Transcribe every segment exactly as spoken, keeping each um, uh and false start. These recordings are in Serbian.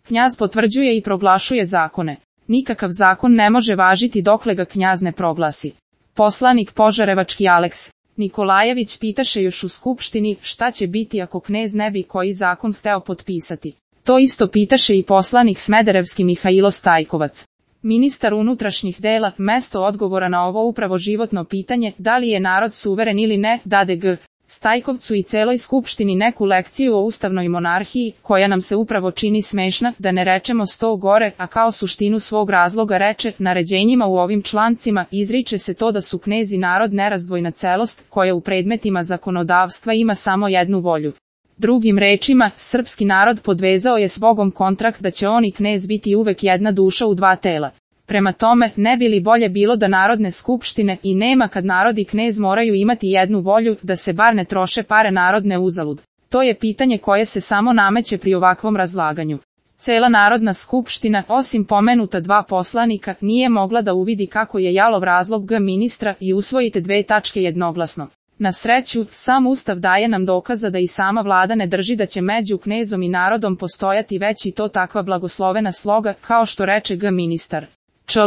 Knjaz potvrđuje i proglašuje zakone. Nikakav zakon ne može važiti dokle ga knjaz ne proglasi. Poslanik Požarevački Aleks Nikolajević pitaše još u skupštini šta će biti ako knez ne bi koji zakon hteo potpisati. To isto pitaše i poslanik Smederevski Mihajlo Stajkovac. Ministar unutrašnjih dela, mesto odgovora na ovo upravo životno pitanje, da li je narod suveren ili ne, dade G. Stajkovcu i celoj skupštini neku lekciju o ustavnoj monarhiji, koja nam se upravo čini smešna, da ne rečemo sto gore, a kao suštinu svog razloga reče, naređenjima u ovim člancima izriče se to da su knezi narod nerazdvojna celost, koja u predmetima zakonodavstva ima samo jednu volju. Drugim rečima, srpski narod podvezao je s Bogom kontrakt da će on i knez biti uvek jedna duša u dva tela. Prema tome, ne bi li bolje bilo da narodne skupštine i nema kad narod i knez moraju imati jednu volju, da se bar ne troše pare narodne uzalud. To je pitanje koje se samo nameće pri ovakvom razlaganju. Cela narodna skupština, osim pomenuta dva poslanika, nije mogla da uvidi kako je jalov razlog G ministra i usvojite dve tačke jednoglasno. Na sreću, sam Ustav daje nam dokaza da i sama vlada ne drži da će među knezom i narodom postojati već i to takva blagoslovena sloga, kao što reče G ministar. Čl.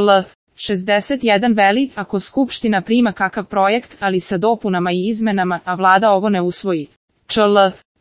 šezdeset jedan veli, ako skupština prima kakav projekt, ali sa dopunama i izmenama, a vlada ovo ne usvoji. Čl.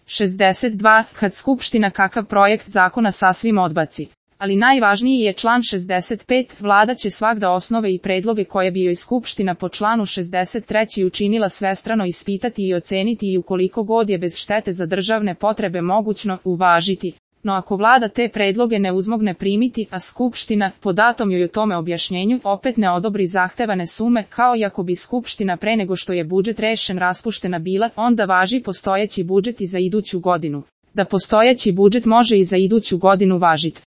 šezdeset dva, kad skupština kakav projekt zakona sasvim odbaci. Ali najvažniji je član šezdeset pet, vlada će svagda osnove i predloge koje bi joj skupština po članu šezdeset tri učinila svestrano ispitati i oceniti i ukoliko god je bez štete za državne potrebe mogućno, uvažiti. No ako vlada te predloge ne uzmogne primiti, a skupština, po datom joj o tome objašnjenju, opet ne odobri zahtevane sume, kao i ako bi skupština pre nego što je budžet rešen raspuštena bila, onda važi postojeći budžet i za iduću godinu. Da postojeći budžet može i za iduću godinu važiti.